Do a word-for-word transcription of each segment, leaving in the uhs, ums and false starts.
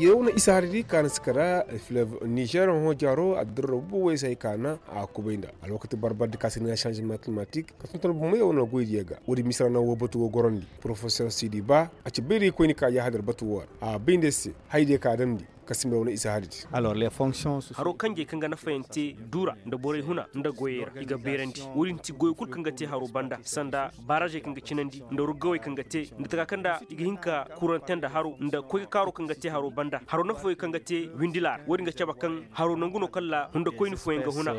Yer wane isa hari di ka na si kara fleve nizer hõ jaaro addirra bubu wey se hay ka na a kubay nda alwakati barbar di ka si ni na sanzement climatik ka tonton bumey wane goy diyo ga woodi misira na wo batu wo gorandi. Porofesor sidi ba a ci bay da i koyni ka yaahadar batu wo ra a bay nda se. Hay diyo ka damndi ka simba wane isa hari di. Haro kanjey kaŋ ga nafayaŋ te duura nda borey huna nda goyey ra i ga beerandi. Wo-din ti goyo kulu kaŋ ga te haro banda sanda barazey kaŋ ga cinandi nda ruggawey kaŋ ga te nda taka kaŋ nda i ga hin ka kurante nda haro nda koy ga kaaro kaŋ ga te haro banda haro nafa fooyaŋ kaŋ ga te windila ra wo-din ga cabe kaŋ haro nangu no kaŋ ra hundakoyni fooyaŋ ga huna.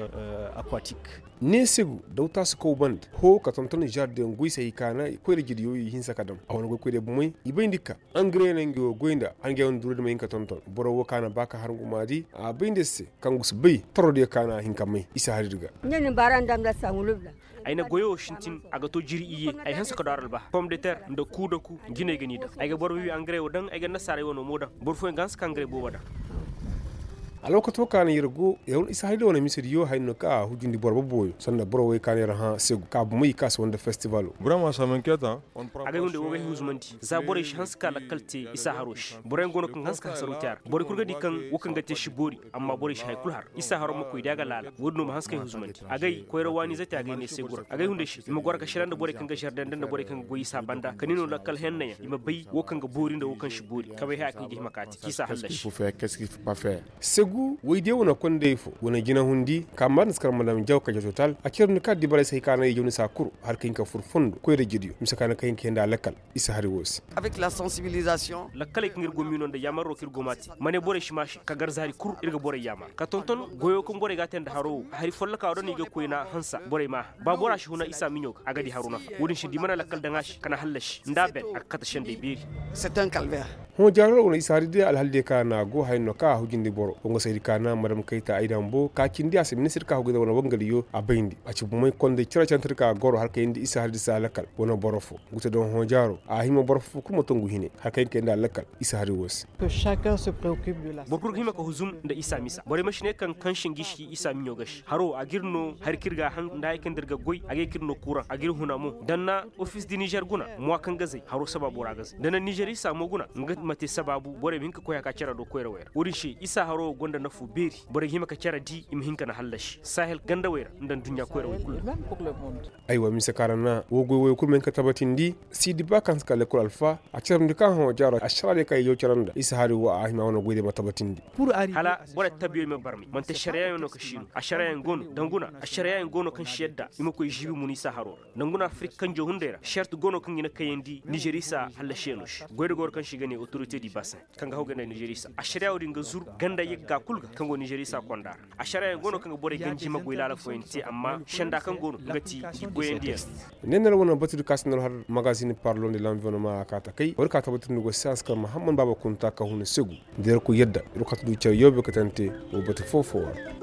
Neesegu daw taasi kaw banda hoo ka tonton zardeŋ goy se hay ka na koyra jidiyo i hinsa ka daŋ a wane goy koyra bumey i bayndi ka angare no nga wo goy nda angare wane duura di ma hin ka tonton boro wo ka na ba ka har nguma di a bayndi se kaŋ gu si bay toro diyo ka na a hin ka may isa hari di ga. Ay na goyo wo sintin a ga to jiri iyye. Ay hanse ka do har albaha pom de ter nda kuu da kuu jinay ga ni daŋ ay ga boro bibi angare wo daŋ ay ga nasaarey wano mo daŋ. Boro fooyaŋ ga hanse ka angare boobo daŋ. Alwakato ka na yer go yer wane isa hari di wane mise diyo haya no ka a hujundi boro boboyo sanda boro wey ka na yer hã segu ka bumey i ka si wande festivalo. Agay hunday wo ga ay huzumandi za borey si hanse ka lakkal te isa haro se boroyaŋ go no kaŋ ga hanse ka hasaru te a ra borey kulu ga di kaŋ wo kaŋ ga te si boori. Amma borey si hay kulu har isa haro ma koy da a ga laala wo-din no ma hanse ka ay huzumandi agay koyra waani zate agay ne se gura agay hunday se i ma goro ka sira nda borey kaŋ ga zardanda nda borey kaŋ ga goy isa banda ka ni no lakkal hennayaŋ i ma bay wo kaŋ ga boori nda wo kaŋ si boori kabay haya kaŋ i ga hima ka te k'i sa hallasi. Segu woy diyo wane kondey fo wane jinahundi ka maadin si kar madam jaw ka jaw total a cere ni ka dibaray se hay ka na i jaw ni sa kuru har ka hin ka fur fondo koyra jidiyo mise ka na ka hin ka henda lakkal. Isa hari wo se. Lakkaley kaŋ ir go miino nda yaamaroo kaŋ ir go m'a te ma ne borey si maase ka gar zaari kuru ir ga borey yaamar ka tonton goyoo kaŋ borey g'a te nda haroo wo hari follokaa wo da no i ga koyna hansa borey m'a hã ba bora si huna isa miɲo ga a ga di haroo nafa wo-din se da i mana lakkal daŋ a se kana hallasi nda a ben a ga kate sendey beeri. Hõ jaaroo ra wane isa hari day alhal day ka na a go haya no ka a hujindi boro wo nga saydi ka na madam kayta ay dambo ka cindi a se ministir ka hugu day wane wangaliyo a bayndi a ci bumey kondey cere cantir ka goro har kayndi isa hari day se a lakkal wane boro fo. Ngu te doŋ hõ jaaroo a hima boro fo kulu ma to ngu hine har kayndi kayndi a lakkal. Isa hari wo se. Boro kulu ga hima ka huzum nda isa misa borey ma si ne kaŋ kaŋ si ngi si isa miɲo ga si haro a g'ir no hari kaŋ ir ga a haŋ nda hari kaŋ nda ir ga goy a ga ye ka ir no kuraŋ a g'ir huna mo da na ofis di nizer guna muwa kaŋ ga zay haro sabaabu ra ga zay da na nizer isa mo guna nga ma te sabaabu borey ma hin ka koy a ka care do koyrawey ra wo-din se isa haro wo gonda nafu beeri borey ga hima ka care di i ma hin ka na hallasi sahel gandawey ra nda nduɲɲa koyrawey kulu ra. Aywa mise kaŋ a ra na wo goy woyo kulu ma hin ka tabatindi siidi ba kaŋ si ka lekkol alfa a carandi kaŋ hõ jaaro ašaraadiyo kaŋ i jaw care nda isa hari wo a hima wane goy diyo ma tabatindi. Hala borey tabiyoy ma barmay man'ti ašariyayaŋ no ka si no ašariyayaŋ go no danguna ašariyayaŋ go no kaŋ si yadda i ma koy žiibi mun isa haro ra danguna afirik kanjo hunday ra šert go no kaŋ i na kayandi nizer isa hallasiyaŋo se goy da goro kaŋ se i ga ne otorite di basin kaŋ ga haw ga ne nizer isa ašariya wo-din ga zur ganda yagga kul ga kaŋ go nizer isa konda ra ašariyayaŋ go no kaŋ ga borey ganji ma goy laala fooyaŋ te amma senda kaŋ go no nga ti i goyandiyaŋ. Neener wane batu di ka si nor har magazin parlon de lanvironnement a ka takay war ka tabatindi go se hanse kaŋ mahamman baaba kunta ka huna segu da yarku yadda ir katu du care yoobe katante wo batu foo foo ra.